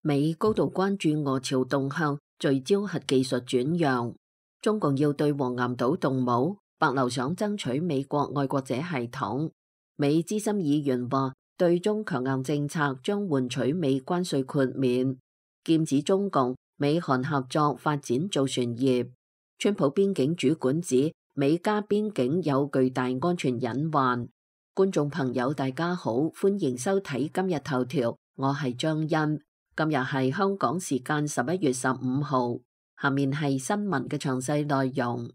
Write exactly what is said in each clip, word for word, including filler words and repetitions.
美高度關注俄朝動向，聚焦核技術轉讓。中共要對黃岩島動武，白樓想爭取美國愛國者系統。美資深議員話，對中強硬政策將換取美關稅豁免，劍指中共美韓合作發展造船業。川普邊境主管指，美加邊境有巨大安全隱患。觀眾朋友大家好，歡迎收睇今日頭條，我係張欣。今日係香港時間十一月十五號，下面係新聞嘅詳細內容。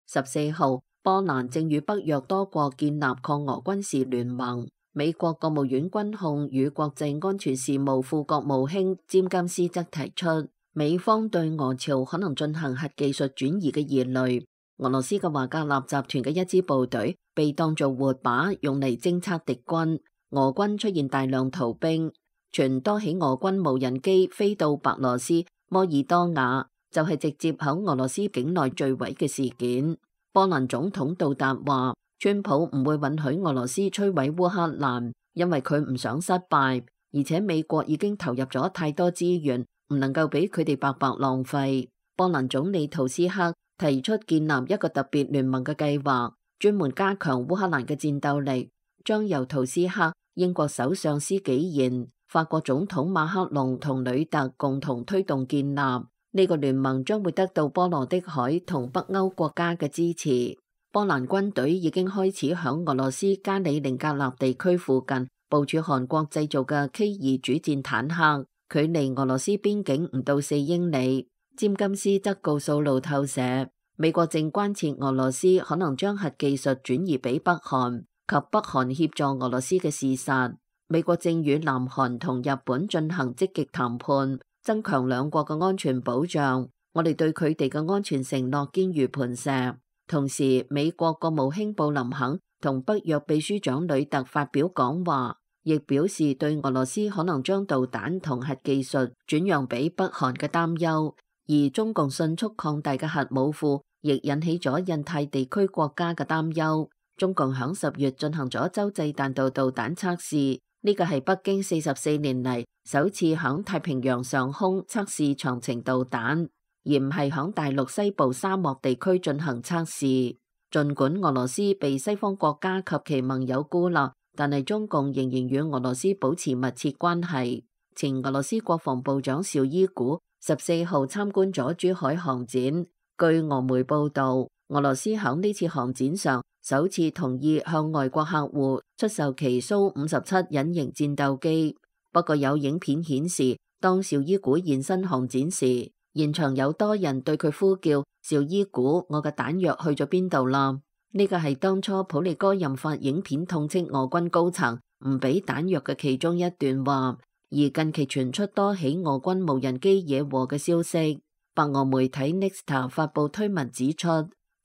十四號，波蘭正與北約多國建立抗俄軍事聯盟。美國國務院軍控與國際安全事務副國務卿詹金斯則提出，美方對俄朝可能進行核技術轉移嘅疑慮。俄羅斯嘅華格納集團嘅一支部隊被當作活靶用嚟偵測敵軍，俄軍出現大量逃兵，傳多起俄軍無人機飛到白羅斯摩爾多瓦，就係、是、直接喺俄羅斯境內墜毀嘅事件。波蘭總統杜達話，川普唔會允許俄羅斯摧毀烏克蘭，因為佢唔想失敗，而且美國已經投入咗太多資源，唔能夠俾佢哋白白浪費。波蘭總理圖斯克提出建立一個特別聯盟嘅計劃，專門加強烏克蘭嘅戰鬥力，將由圖斯克、英國首相施紀賢、法國總統馬克龍同呂特共同推動建立。呢、這個聯盟將會得到波羅的海同北歐國家嘅支持。波蘭軍隊已經開始響俄羅斯加里寧格勒地區附近部署韓國製造嘅 K 二主戰坦克，距離俄羅斯邊境唔到四英里。詹金斯則告訴路透社，美國正關切俄羅斯可能將核技術轉移俾北韓及北韓協助俄羅斯嘅事實。美國正與南韓同日本進行積極談判，增強兩國嘅安全保障。我哋對佢哋嘅安全承諾堅如磐石。同時，美國國務卿布林肯同北約秘書長呂特發表講話，亦表示對俄羅斯可能將導彈同核技術轉讓俾北韓嘅擔憂。而中共迅速擴大嘅核武庫，亦引起咗印太地區國家嘅擔憂。中共響十月進行咗洲際彈道導彈測試，呢個係北京四十四年嚟首次響太平洋上空測試長程導彈，而唔係響大陸西部沙漠地區進行測試。儘管俄羅斯被西方國家及其盟友孤立，但係中共仍然與俄羅斯保持密切關係。前俄羅斯國防部長紹伊古十四號參觀咗珠海航展，據俄媒報道，俄羅斯響呢次航展上首次同意向外國客戶出售其蘇五十七隱形戰鬥機。不過有影片顯示，當紹伊古現身航展時，現場有多人對佢呼叫：紹伊古，我嘅彈藥去咗邊度啦？呢個係當初普利戈任發影片痛斥俄軍高層唔俾彈藥嘅其中一段話。而近期傳出多起俄軍無人機惹禍嘅消息，白俄媒體 Nexta 發布推文指出，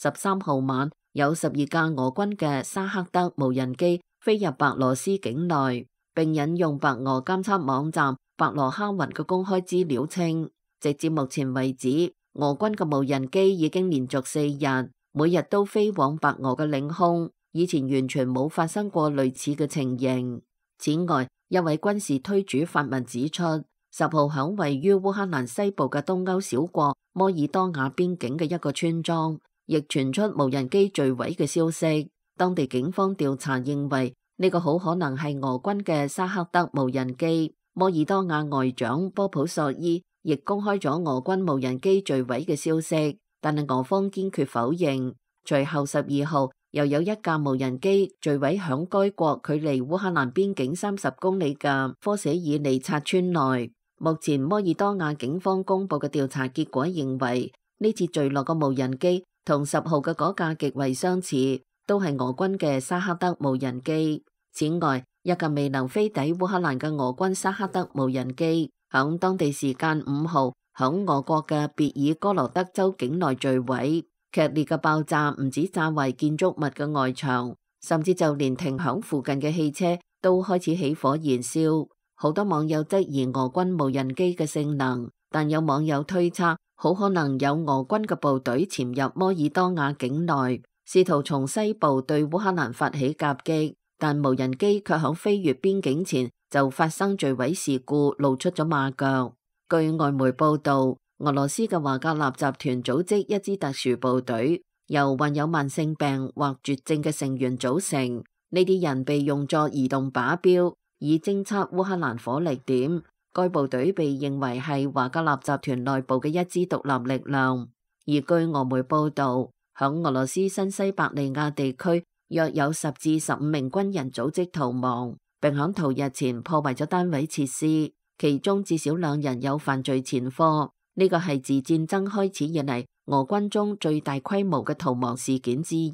十三號晚有十二架俄軍嘅沙克德無人機飛入白羅斯境內，並引用白俄監測網站白羅哈雲嘅公開資料稱，直至目前為止，俄軍嘅無人機已經連續四日，每日都飛往白俄嘅領空，以前完全冇發生過類似嘅情形。此外，一位軍事推主發文指出，十號響位於烏克蘭西部嘅東歐小國摩爾多瓦邊境嘅一個村莊，亦傳出無人機墜毀嘅消息。當地警方調查認為，呢、這個好可能係俄軍嘅沙克德無人機。摩爾多瓦外長波普索伊亦公開咗俄軍無人機墜毀嘅消息，但係俄方堅決否認。隨後十二號，又有一架無人機墜毀響該國距離烏克蘭邊境三十公里嘅科舍爾尼察村內。目前摩爾多瓦警方公布嘅調查結果認為，呢次墜落嘅無人機同十號嘅嗰架極為相似，都係俄軍嘅沙克德無人機。此外，一架未能飛抵烏克蘭嘅俄軍沙克德無人機，響當地時間五號響俄國嘅別爾哥羅德州境內墜毀。劇烈嘅爆炸唔止炸壞建築物嘅外牆，甚至就連停響附近嘅汽車都開始起火燃燒。好多網友質疑俄軍無人機嘅性能，但有網友推測，好可能有俄軍嘅部隊潛入摩爾多瓦境內，試圖從西部對烏克蘭發起夾擊。但無人機卻響飛越邊境前就發生墜毀事故，露出咗馬腳。據外媒報道，俄羅斯嘅華格納集團組織一支特殊部隊，由患有慢性病或絕症嘅成員組成。呢啲人被用作移動靶標，以偵測烏克蘭火力點。該部隊被認為係華格納集團內部嘅一支獨立力量。而據俄媒報道，響俄羅斯新西伯利亞地區，約有十至十五名軍人組織逃亡，並響逃日前破壞咗單位設施，其中至少兩人有犯罪前科。呢個係自戰爭開始以嚟俄軍中最大規模嘅逃亡事件之一。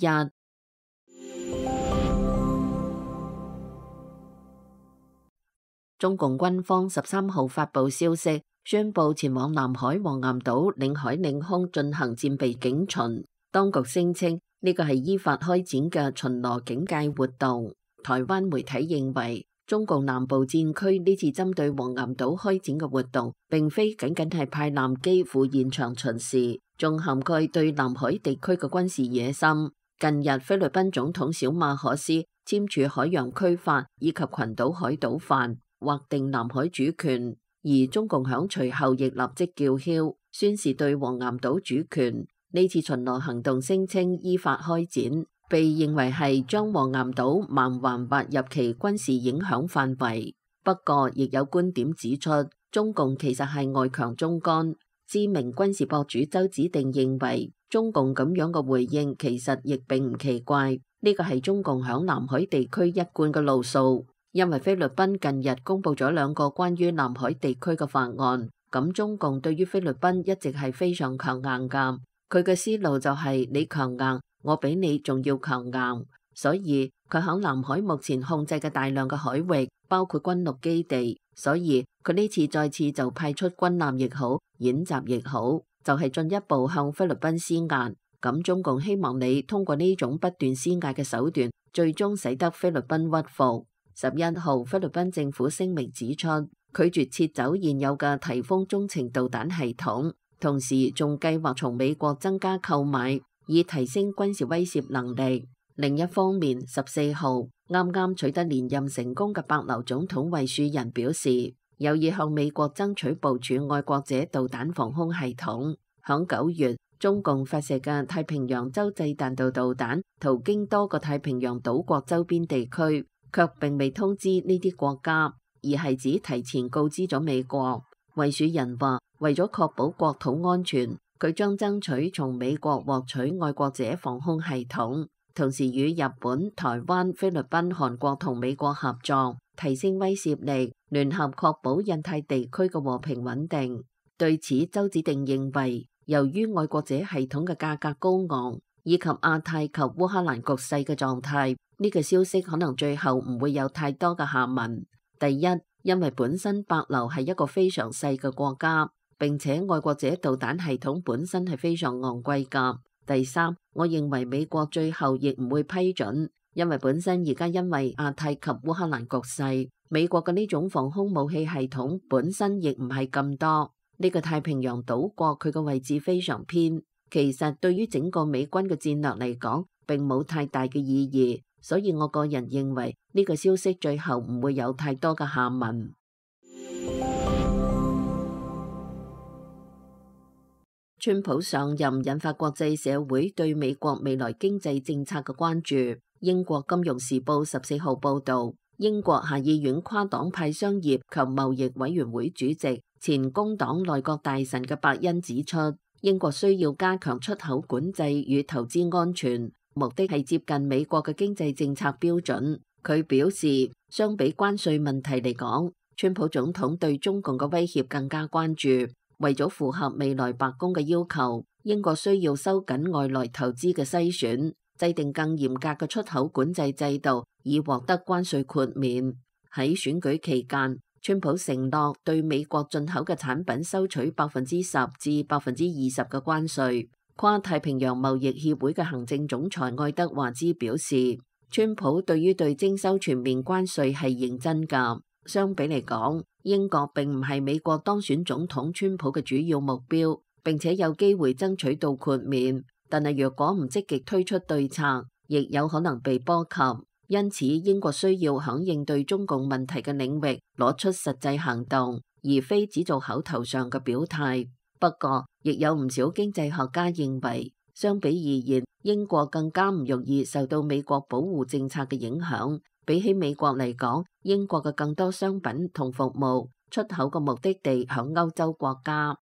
中共軍方十三號發布消息，宣布前往南海黃岩島領海領空進行戰備警巡。當局聲稱呢個係依法開展嘅巡邏警戒活動。台灣媒體認為，中共南部戰區呢次針對黃岩島開展嘅活動，並非僅僅係派艦機赴現場巡視，仲涵蓋對南海地區嘅軍事野心。近日，菲律賓總統小馬可斯簽署海洋區法以及群島海島法，劃定南海主權，而中共響隨後亦立即叫囂，宣示對黃岩島主權。呢次巡邏行動聲稱依法開展，被認為係將黃岩島盲環劃入其軍事影響範圍。不過，亦有觀點指出，中共其實係外強中乾。知名軍事博主周子定認為，中共咁樣嘅回應其實亦並唔奇怪，呢個係中共響南海地區一貫嘅路數。因為菲律賓近日公布咗兩個關於南海地區嘅法案，咁中共對於菲律賓一直係非常強硬㗎。佢嘅思路就係你強硬，我比你仲要強硬，所以佢響南海目前控制嘅大量嘅海域，包括軍陸基地，所以佢呢次再次就派出軍艦亦好，演習亦好，就係進一步向菲律賓施壓。咁中共希望你通過呢種不斷施壓嘅手段，最終使得菲律賓屈服。十一號，菲律賓政府聲明指出，拒絕撤走現有嘅颱風中程導彈系統，同時仲計劃從美國增加購買，以提升軍事威懾能力。另一方面，十四號啱啱取得連任成功嘅帛琉總統惠恕仁表示，有意向美國爭取部署愛國者導彈防空系統。響九月，中共發射嘅太平洋洲際彈道導彈途經多個太平洋島國周邊地區，卻並未通知呢啲國家，而係只提前告知咗美國。惠恕仁話，為咗確保國土安全，佢將爭取從美國獲取愛國者防空系統，同時與日本、台灣、菲律賓、韓國同美國合作，提升威懾力，聯合確保印太地區嘅和平穩定。對此，周子定認為，由於愛國者系統嘅價格高昂，以及亞太及烏克蘭局勢嘅狀態，呢個消息可能最後唔會有太多嘅下文。第一，因為本身帛琉係一個非常細嘅國家，並且愛國者導彈系統本身係非常昂貴㗎。第三，我認為美國最後亦唔會批准，因為本身而家因為亞太及烏克蘭局勢，美國嘅呢種防空武器系統本身亦唔係咁多。呢個太平洋島國佢嘅位置非常偏，其實對於整個美軍嘅戰略嚟講，並冇太大嘅意義。所以我個人認為呢個消息最後唔會有太多嘅下文。川普上任引發國際社會對美國未來經濟政策嘅關注。英國金融時報十四號報導，英國下議院跨黨派商業及貿易委員會主席、前工黨內閣大臣嘅伯恩指出，英國需要加強出口管制與投資安全，目的係接近美國嘅經濟政策標準。佢表示，相比關稅問題嚟講，川普總統對中共嘅威脅更加關注。為咗符合未來白宮嘅要求，英國需要收緊外來投資嘅篩選，制定更嚴格嘅出口管制制度，以獲得關稅豁免。喺選舉期間，川普承諾對美國進口嘅產品收取百分之十至百分之二十嘅關稅。跨太平洋貿易協會嘅行政總裁愛德華茲表示，川普對於對徵收全面關稅係認真㗎。相比嚟講，英國並唔係美國當選總統川普嘅主要目標，並且有機會爭取到豁免。但係若果唔積極推出對策，亦有可能被波及。因此英國需要響應對中共問題嘅領域攞出實際行動，而非只做口頭上嘅表態。不過，亦有唔少經濟學家認為，相比而言，英國更加唔容易受到美國保護政策嘅影響。比起美國嚟講，英國嘅更多商品同服務出口嘅目的地響歐洲國家。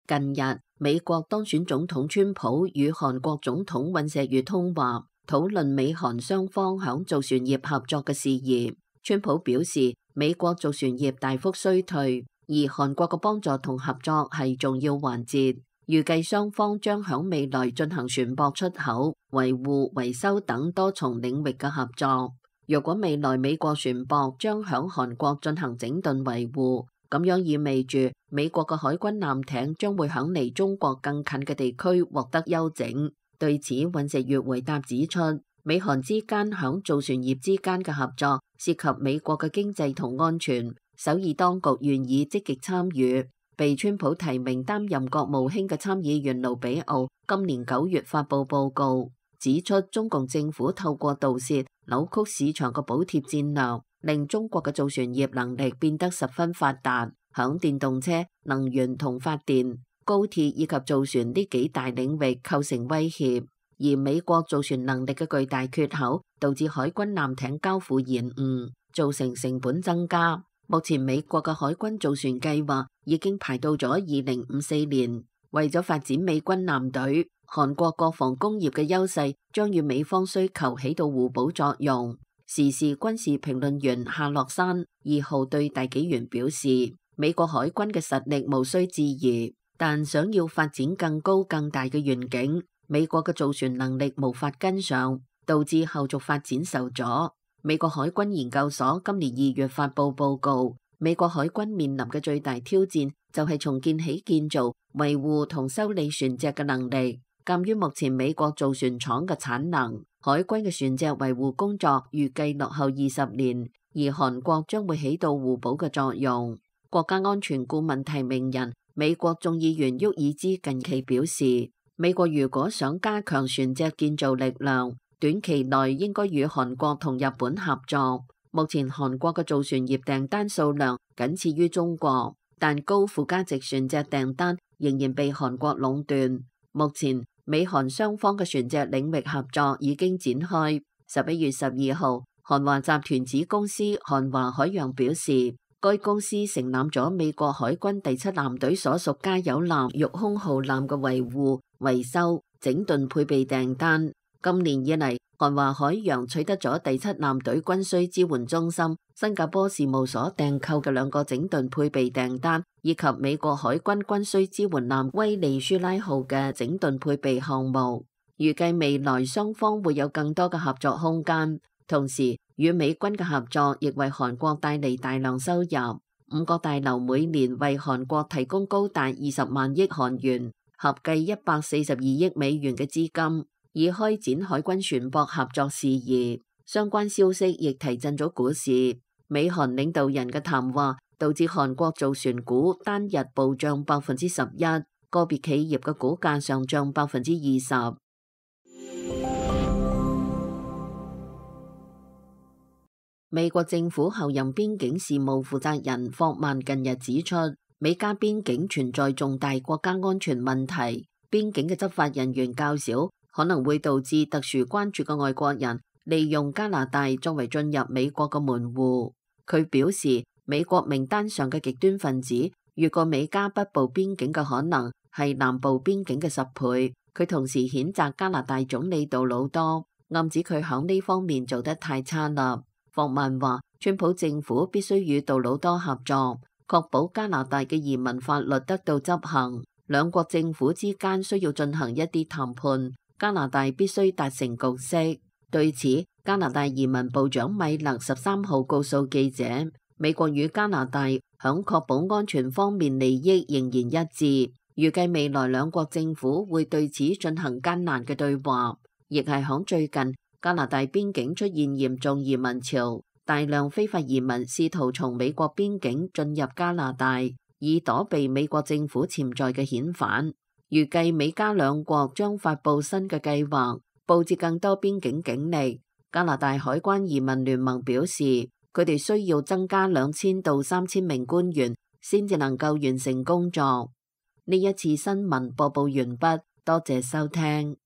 近日，美國當選總統川普與韓國總統尹錫悅通話，討論美韓雙方響造船業合作嘅事宜。川普表示，美國造船業大幅衰退，而韓國嘅幫助同合作係重要環節。預計雙方將響未來進行船舶出口、維護、維修等多重領域嘅合作。若果未來美國船舶將響韓國進行整頓維護，咁樣意味住美國嘅海軍艦艇將會響離中國更近嘅地區獲得休整。對此，尹錫悅回答指出，美韓之間響造船業之間嘅合作涉及美國嘅經濟同安全，首爾當局願意積極參與。被川普提名擔任國務卿嘅參議員盧比奧今年九月發布報告，指出中共政府透過盜竊、扭曲市場嘅補貼戰略，令中國嘅造船業能力變得十分發達，響電動車、能源同發電、高鐵以及造船呢幾大領域構成威脅。而美國造船能力嘅巨大缺口，導致海軍艦艇交付延誤，造成成本增加。目前美國嘅海軍造船計劃已經排到咗二零五四年。為咗發展美軍艦隊，韓國國防工業嘅優勢將與美方需求起到互補作用。時事軍事評論員夏洛山二號對大紀元表示，美國海軍嘅實力無需置疑，但想要發展更高更大嘅願景，美國嘅造船能力無法跟上，導致後續發展受阻。美國海軍研究所今年二月發布報告，美國海軍面臨嘅最大挑戰就係重建起建造、維護同修理船隻嘅能力。鑒於目前美國造船廠嘅產能，海軍嘅船隻維護工作預計落後二十年，而韓國將會起到互補嘅作用。國家安全顧問提名人、美國眾議員沃爾茲近期表示，美國如果想加強船隻建造力量，短期內應該與韓國同日本合作。目前韓國嘅造船業訂單數量僅次於中國，但高附加值船隻訂單仍然被韓國壟斷。目前美韓雙方嘅船隻領域合作已經展開。十一月十二號，韓華集團子公司韓華海洋表示，該公司承攬咗美國海軍第七艦隊所屬加油艦玉空號艦嘅維護、維修、整頓配備訂單。今年以嚟，韓華海洋取得咗第七艦隊軍需支援中心新加坡事務所訂購嘅兩個整頓配備訂單，以及美國海軍軍需支援艦威利舒拉號嘅整頓配備項目。預計未來雙方會有更多嘅合作空間，同時與美軍嘅合作亦為韓國帶嚟大量收入。五角大樓每年為韓國提供高達二十萬億韓元，合計一百四十二億美元嘅資金，以開展海軍船舶合作事宜。相關消息亦提振咗股市。美韓領導人嘅談話導致韓國造船股單日暴漲百分之十一，個別企業嘅股價上漲百分之二十。美國政府候任邊境事務負責人霍曼近日指出，美加邊境存在重大國家安全問題，邊境嘅執法人員較少，可能會導致特殊關注嘅外國人利用加拿大作為進入美國嘅門戶。佢表示，美國名單上嘅極端分子越過美加北部邊境嘅可能係南部邊境嘅十倍。佢同時譴責加拿大總理杜魯多，暗指佢響呢方面做得太差啦。霍曼話，川普政府必須與杜魯多合作，確保加拿大嘅移民法律得到執行。兩國政府之間需要進行一啲談判，加拿大必須達成共識。對此，加拿大移民部長米勒十三號告訴記者，美國與加拿大響確保安全方面利益仍然一致，預計未來兩國政府會對此進行艱難嘅對話。亦係響最近，加拿大邊境出現嚴重移民潮，大量非法移民試圖從美國邊境進入加拿大，以躲避美國政府潛在嘅遣返。預計美加兩國將發布新嘅計劃，佈置更多邊境警力。加拿大海關移民聯盟表示，佢哋需要增加兩千到三千名官員，先至能夠完成工作。呢一次新聞播報完畢，多謝收聽。